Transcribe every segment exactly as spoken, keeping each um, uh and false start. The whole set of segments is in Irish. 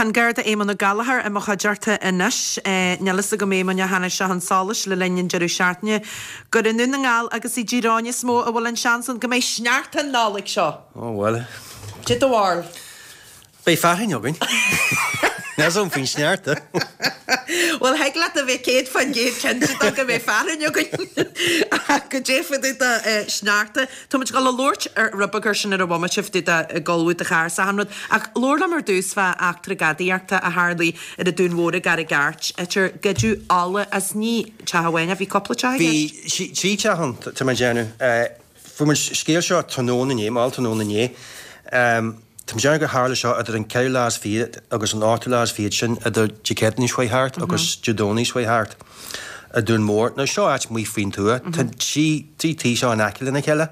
Tá an Garda Éamonn Ó Gallchóir i mo chuideachta anois. Níl fhios agam Éamonn ar tháinig sé chun solais le linn an deireadh seachtaine gur i nDún na nGall agus i dTír Eoghain is mó a bhfuil an seans ann go mbeidh sneachta an Nollaig seo. Ó bhuel. Cad é do bharúil. Beidh fearthainn againn. Níl 'fhios agam faoin sneachta. Bhuel, thig leat a bheith céad faoin gcéad cinnte de go mbeidh fearthainn againn. Ach goidé fá dtaobh de sneachta. Tá muid ag dul a labhairt ar rud beag air sin ar an bhomaite fá dtaobh de ag ullmhú do charr 's achan rud. Ach labhair liom ar dtús fá eachtra gadaíochta a tharlaigh ar an Dún Mhór i gCarraig Airt, idir goideadh ola as ní teach amháin ach bhí cúpla teach i gceist. Bhí trí teach ann, tá mé ag déanamh. Fuair muid scéal seo tráthnóna inné, mall tráthnóna inné. Tá mé ag déanamh gur tharla seo idir an ceathrú lá is fiche agus an ochtú lá is fiche, sin idir Dé Céadaoin seo chuaigh thart agus Dé Domhnaigh seo chuaigh thart i Dún Mór. Now seo áit amuigh faoin tuath. Tá trí trí tí seo in aice lena chéile.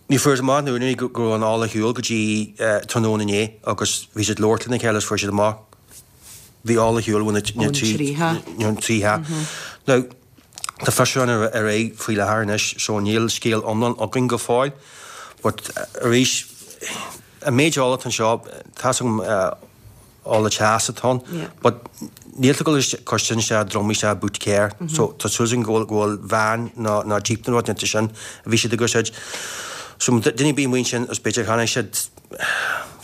Ní fuarthas amach na úinéirí go raibh an ola ar shiúl go dtí tráthnóna inné agus bhí siad ag labhairt lena chéile agus fuair siad amach bhí ola ar shiúl ó na trí trí theach. Now tá fiosrúchán ar aghaidh faoi láthair anois so níl scéal iomlán againn go fóill but arís an méid ola atá anseo tá's agam ola teas atá ann but níl tú ag dul cur sin isteach drumaí isteach i boot cairr so tá súil againn go bhfuil go bhfuil veain nó nó jeep nó rud inteacht sin a bhí siad ag úsáid. So duine ar bith amuigh ansin is b'fhéidir chonaic siad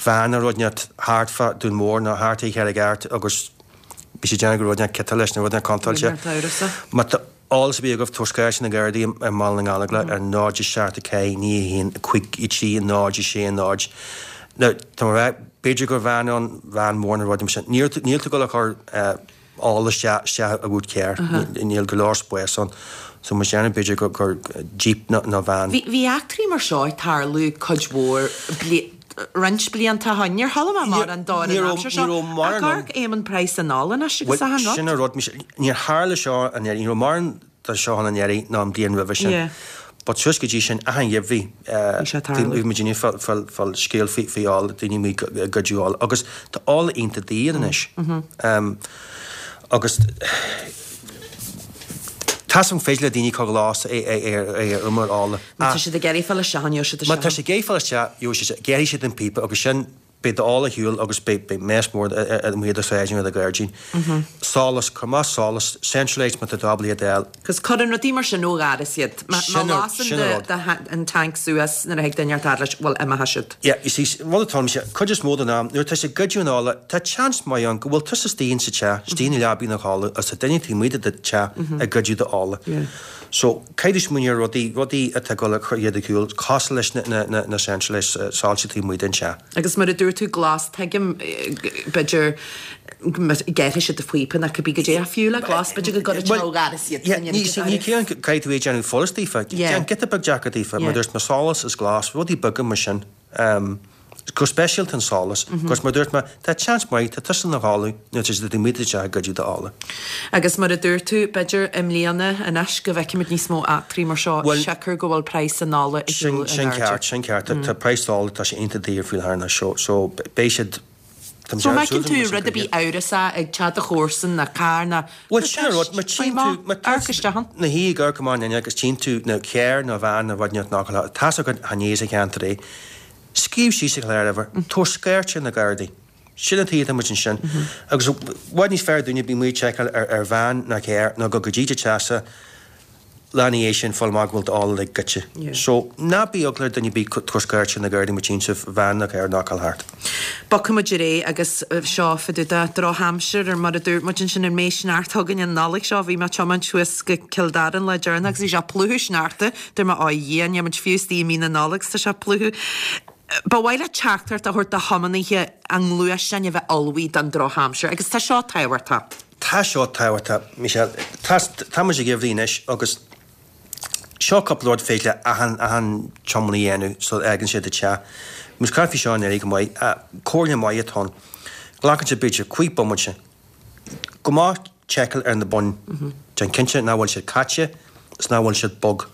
veain nó rud inteacht thart fá Dún Mór nó thart ar Charraig Airt agus bhí siad ag déanamh go raibh rud inteacht ciotáilte leis nó rud inteacht contúirteach. Níl neart amhras ann. Má tá eolas ar bith agaibh tabhair scairt na Gardaí i mBaile na nGallóglach ar náid a seacht a ceathair naoi a haon cúig a trí náid a sé náid. Now tá mé ag rá b'fhéidir gur veain ann, veain mhór nó rud mar sin. Níl níl tú ag dul a chur ola isteach isteach i boot cairr. Níl go leor spáis ann. So más déanamh b'fhéidir gur gur jeep nó nó veain. Bhí bhí eachtraí mar seo ag tarlú cuid mhór roinnt blianta ó shin. Níor chuala mé mórán dó ar an aimsir seo. Ach amharc Éamonn praghas an ola anois agus achan rud. Sin an rud, níor tharla seo anuraidh, ní raibh mórán de seo ann anuraidh ná an bhliain roimhe sin. But suas go dtí sin, achan gheimhreadh, bhí muid ag fáil scéal faoi ola, daoine amuigh ag goideadh ola. Agus tá ola iontach daor anois. Agus tá's agam féidir le daoine cur glas ar umar ola. Má tá siad ag iarraidh fáil isteach ann, gheobhaidh siad Má tá siad ag iarraidh fáil isteach, gheobhaidh siad, gearrfaidh siad an píopa agus sin, beidh d'ola ar shiúl agus beidh beidh mess mór amuigh i do shráid nó i do ghairdín. Solas, cuir amach solas, central lights má tá tú ábalta iad a fháil. Cos cuireann rudaí mar sin ó dhoras iad. Má lasann an tanc suas nuair a thig duine inteacht fhad leis, bhuel, imeoidh siad. Yeah, you see, rud atá ann, cuid is mó den am, nuair atá siad ag goideadh an ola, tá seans maith ann go bhfuil tusa istigh insa teach, istigh ina leabaidh ina chodladh, agus tá duine taobh amuigh de do teach ag goideadh do ola. So, caithfidh tú smaoineamh ar rudaí, rudaí atá ag dul a chur iad ar shiúl, cosúil leis na, na, na, na central lights, soilse taobh amuigh den teach. Agus mar a dúirt tú, glas, tuigim, b'fhéidir, gearrfaidh siad do phíopa nó cibé goidé ach fiú le glas, b'fhéidir go gcuirfidh siad ó dhoras iad. Yeah, ní, see, ní cé an, caithfidh tú é a dhéanamh follas daofa, déan giota beag deacair daofa, mar dúirt mé solas is glas, rudaí beaga mar sin. Go speisialta an solas, agus mar dúirt mé, tá seans maith, tá tusa ina chodladh nuair atá siad amuigh i do theach ag goideadh d'ola. Agus mar a dúirt tú, b'fhéidir i mbliana anois go bhfeicfimid níos mó eachtraí mar seo, siocair go bhfuil praghas an ola ag dul in Sin airde. ceart, sin ceart. Tá praghas ola, tá sé iontach daor faoi láthair anois, so, so beidh siad, tá So má fheiceann tú rud ar bith amhrasach ag teach do chomharsan ná carr ná Bhuel, sin an rud, má tchíonn tú, má tá amharc isteach ann. na hí ag amharc amach an fhuinneog agus tchíonn tú nó carr nó veain nó rud inteacht nach bhfuil, tá's agat chan é as an cheantar é. Scríobh síos an cláruimhir, tabhair scairt ar na Gardaí. Sin an tuige atá muid ansin. Agus i bhfad níos fearr dúinne bheith amuigh ag seiceáil ar ar veain nó carr ná go go dtí do teachsa lá ina dhiaidh sin fáil amach go bhfuil d'ola uilig goidte. So, ná bí eagla ar duine ar bith tabhair scairt ar na Gardaí má tchíonn sibh veain nó carr ag gabháil thart. Bogfaidh muid ar aghaidh agus seo fá dtaobh de drochaimsir ar mar a dúirt muid ansin an mbeidh sneachta againn an Nollaig seo. Bhí mé ag tiomáint suas go Cill Dara an lá deireanach agus bhí sé ag plúchadh sneachta. Dúirt mé, Ó a Dhia, níl muid fiú istigh i mí na Nollag 's tá sé ag plúchadh. Ba mhaith leat teachtaireacht a thabhairt do thiománaithe a ngluaisteáin a bheith ullmhaithe don drochaimsir agus tá seo tábhachtach. Tá seo tábhachtach, Michelle. Tá, tá muid sa gheimhreadh anois agus seo cúpla rud féidir le achan, achan tiománaí a dhéanamh sula fhágann siad an teach. Muid ag caint faoi seo anuraidh go maith. Comhairle maith atá ann. Glacann sé b'fhéidir cúig bomaite. Go maith seiceáil ar na boinn. Déan cinnte nach bhfuil siad caite is nach bhfuil siad bog.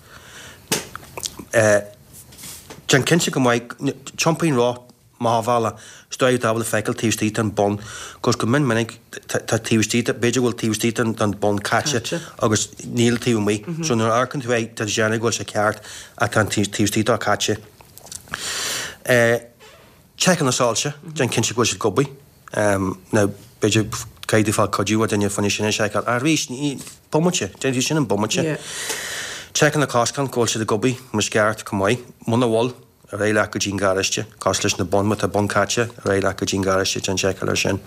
Déan cinnte go maith, tiompaigh an roth amach an bhealach, is dóigh atá ábalta feiceáil taobh istigh den bhonn, cos go mion minic tá taobh istigh, b'fhéidir go bhfuil taobh istigh den bhonn caite agus níl taobh amuigh. So nuair a amharcann tú air, tá tú ag déanamh go bhfuil sé ceart ach tá an taobh istigh dó caite. Seiceáil na soilse, déan cinnte go bhfuil siad ag obair. Now, b'fhéidir caithfidh tú fáil cuidiú ó duine fá choinne sin a sheiceáil. Ach arís, ní, bomaite, déanann tú sin i mbomaite. Seiceáil na coscáin go bhfuil siad ag obair mar is ceart chomh maith. Muna bhfuil, ar aghaidh leat go dtí an garáiste, cosúil leis na boinn, má tá bonn caite, ar aghaidh leat go dtí an garáiste, déan seiceáil air sin.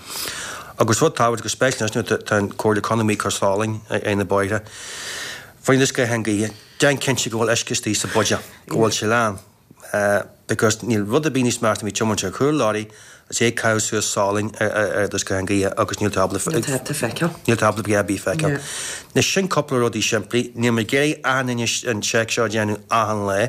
Agus rud tábhachtach, go speisialta anois nuair atá an Comhairle Contae ag cur salainn ar na bóithre, fá choinne scáthán gaoithe, déan cinnte go bhfuil uisce istigh sa bhuidéal, go bhfuil sé lán. Because níl rud ar bith níos measa ná bheith ag tiomáint ar chúl lorry is é ag caitheamh suas salainn ar do scáthán gaoithe agus níl tú ábalta Níl tú feiceáil. Níl tú ábalta a dhath ar bith a feiceáil. Now sin cúpla rudaí simplí. Níl mé ag iarraidh achan duine an seic seo a dhéanamh achan lá.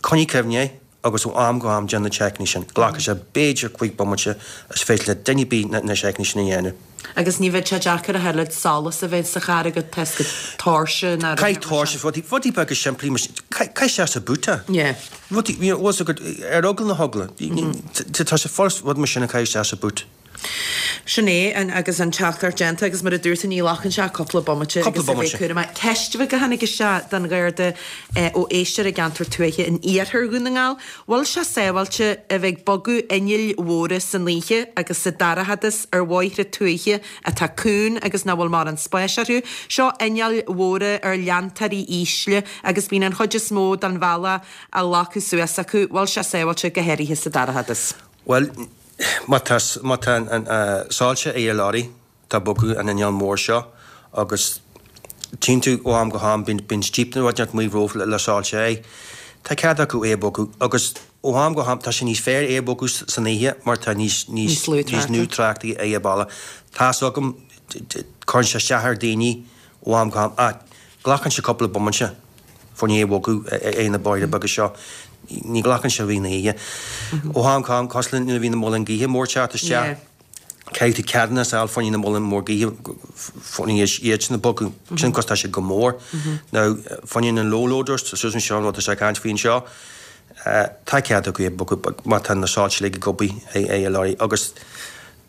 Coinnigh cuimhne air agus ó am go ham déan na seiceanna sin. Glacfaidh sé b'fhéidir cúig bomaite is féidir le duine ar bith na seiceanna sin a dhéanamh. Agus ní bheidh sé deacair a thuilleadh solas a bheith sa charr agat toisc go tóirse ná Caith tóirse, rudaí, rudaí beaga simplí mar sin. Caith, caith isteach sa búta. Yeah. Rudaí, you know, bhfuil fhios agat, ar eagla na heagla. Tá sé furast rud mar sin a chaitheamh isteach sa bút. Sin é an, agus an teachtaireacht déanta agus mar a dúirt tú ní ghlacann sé ach cúpla bomaite Cúpla agus a bheith bomaite. cúramach. Ceist bheag a tháinig isteach don Gharda ó éisteoir i gceantar tuaithe in iarthar Dhún na nGall. Bhfuil sé sábháilte a bheith ag bogadh innill mhóra san oíche agus sa dorchadas ar bhóithre tuaithe atá cúng agus nach bhfuil mórán spáis orthu? Seo innill mhóra ar leantóirí ísle agus bíonn an chuid is mó den bhealach á ghlacadh suas acu. Bhfuil sé sábháilte go háirithe sa dorchadas? Bhuel, má tá, má tá an soilse ar an lorry, tá bogadh an inneall mór seo agus tchíonn tú ó am go ham, bíonn, bíonn jíp nó rud inteacht amuigh romhat le soilse air. Tá cead acu é a bhogadh agus ó am go ham tá sé níos fearr é a bhogadh san oíche mar tá níos, níos, Níos lú níos lú tráchta ar an bealach. Tá's agam, cuireann sé isteach ar daoine ó am go ham ach glacann sé cúpla bomaite fá choinne é a bhogadh ar na bóithre beaga seo. Ní ghlacann sé rith na hoíche. Ó am go ham, cosúil le nuair a bhí na muileann gaoithe mór teacht isteach, caithfidh tú ceadúnas a fháil fá choinne na muileann mór gaoithe, fá choinne iad sin a bhogadh, sin cos tá siad go mór. Now, fá choinne na low loaders, tá suas anseo an rud atá sé ag caint faoi anseo, tá cead acu é a bhogadh má tá na soilse uilig ag obair ar an lorry agus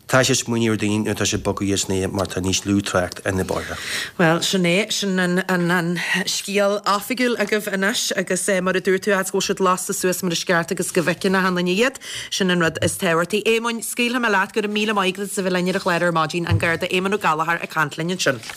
tá sé smaoineamh ar daoine nuair atá siad ag bogadh iad san oíche mar tá níos lú trácht ar na bóithre. Bhuel, sin é, sin an, an, an scéal oifigiúil agaibh anois agus eh, mar a dúirt tú fhad go bhfuil siad lasta suas mar is ceart agus go bhfeiceann achan duine iad, sin an rud is tábhachtaí. Éamoinn, scaoilfidh mé leat go raibh míle maith agat as a bheith linn ar an chlár ar maidin, an Garda Éamonn Ó Gallchóir ag caint linn ansin.